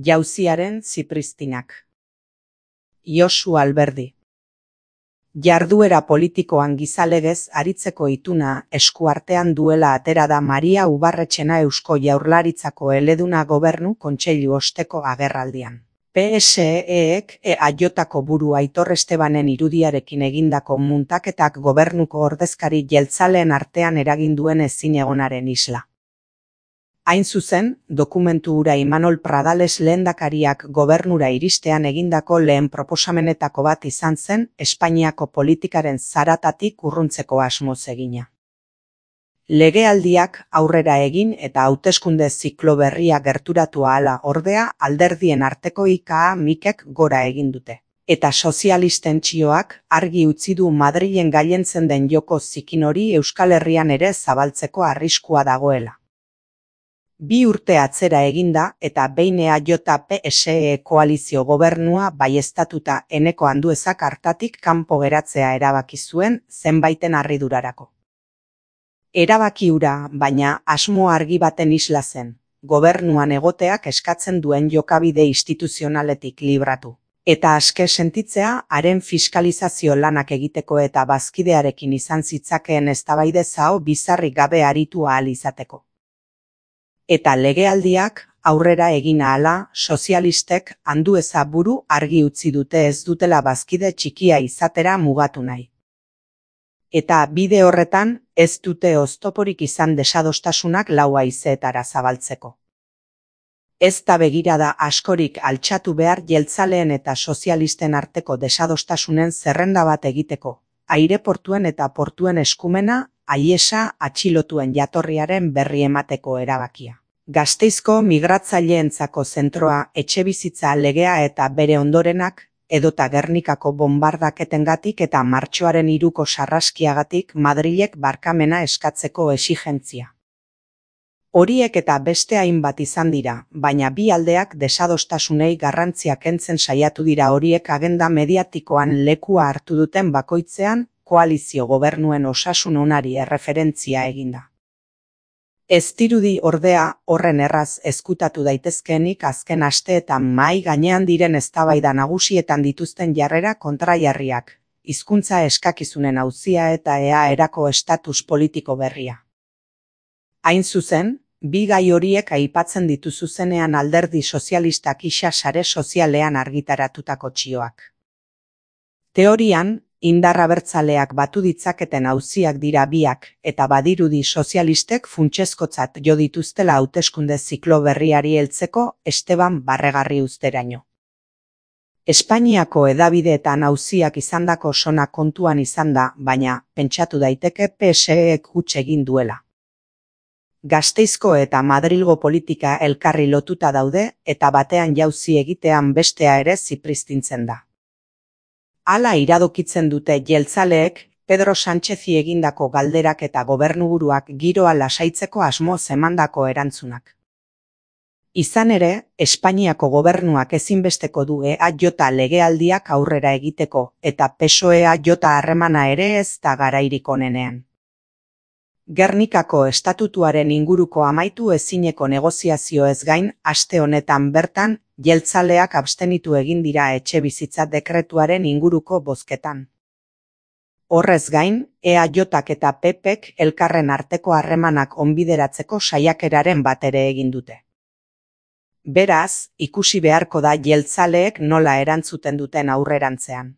Jauziaren Zipristinak. Josu Alberdi. Jarduera politikoan gizalegez aritzeko ituna eskuartean duela atera da Maria Ubarretxena Eusko Jaurlaritzako eleduna Gobernu Kontseilu osteko agerraldian. PSE-ek EAJko buru Aitor Estebanen irudiarekin egindako muntaketak gobernuko ordezkari jeltzaleen artean eragin duen ezinegonaren isla. Hain zuzen, dokumentu hura Imanol Pradales lehendakariak gobernura iristean egindako lehen proposamenetako bat izan zen Espainiako politikaren zaratatik urruntzeko asmoz egina. Legealdiak aurrera egin eta hauteskunde ziklo berria gerturatu ahala ordea alderdien arteko ika-mikek gora egin dute. Eta sozialisten txioak argi utzi du Madrilen gailentzen den joko zikin hori Euskal Herrian ere zabaltzeko arriskua dagoela. 2 urte atzera eginda eta behin EAJ-PSE koalizio gobernua baieztatuta Eneko Anduezak hartatik kanpo geratzea erabaki zuen zenbaiten harridurarako. Erabaki hura, baina asmo argi baten isla zen, gobernuan egoteak eskatzen duen jokabide instituzionaletik libratu. Eta aske sentitzea haren fiskalizazio lanak egiteko eta bazkidearekin izan zitzakeen eztabaide zao bizarrik gabe aritu ahal izateko. Eta legealdiak aurrera egin ahala sozialistek Andueza buru argi utzi dute ez dutela bazkide txikia izatera mugatu nahi. Eta bide horretan ez dute oztoporik izan desadostasunak lau haizeetara zabaltzeko. Ez da begirada askorik altxatu behar jeltzaleen eta sozialisten arteko desadostasunen zerrenda bat egiteko, aireportuen eta portuen eskumena Aiesa atxilotuen jatorriaren berri emateko erabakia. Gasteizko migratzaileentzako zentroa etxebizitza legea eta bere ondorenak, edota Gernikako bonbardaketengatik eta martxoaren 3ko sarraskiagatik Madrilek barkamena eskatzeko exigentzia. Horiek eta beste hainbat izan dira, baina bi aldeak desadostasunei garrantzia kentzen saiatu dira horiek agenda mediatikoan lekua hartu duten bakoitzean koalizio gobernuen osasun onari erreferentzia eginda. Ez dirudi ordea horren erraz ezkutatu daitezkeenik azken asteetan mahai gainean diren eztabaida nagusietan dituzten jarrera kontrajarriak, hizkuntza eskakizunen auzia eta EAerako estatus politiko berria. Hain zuzen, bi gai horiek aipatzen ditu zuzenean alderdi sozialistak isa sare sozialean argitaratutako txioak. Teorian, indar abertzaleak batu ditzaketen auziak dira biak eta badirudi sozialistek funtsezkotzat jo dituztela hauteskunde ziklo berriari heltzeko Esteban Barregarri uzteraino. Espainiako hedabideetan auziak izandako sona kontuan izan da, baina pentsatu daiteke PSE-ek huts egin duela. Gasteizko eta Madrilgo politika elkarri lotuta daude eta batean jauzi egitean bestea ere zipristintzen da. Hala iradokitzen dute jeltzaleek Pedro Sánchezi egindako galderak eta gobernuburuak giroa lasaitzeko asmoz emandako erantzunak. Izan ere, Espainiako gobernuak ezinbesteko du EAJ legealdiak aurrera egiteko eta PSOE-EAJ harremana ere ez da garairik onenean. Gernikako estatutuaren inguruko amaitu ezineko negoziazioez gain, aste honetan bertan, jeltzaleak abstenitu egin dira etxebizitza dekretuaren inguruko bozketan. Horrez gain, EAJak eta PPek elkarren arteko harremanak onbideratzeko saiakeraren bat ere egin dute. Beraz, ikusi beharko da jeltzaleek nola erantzuten duten aurrerantzean.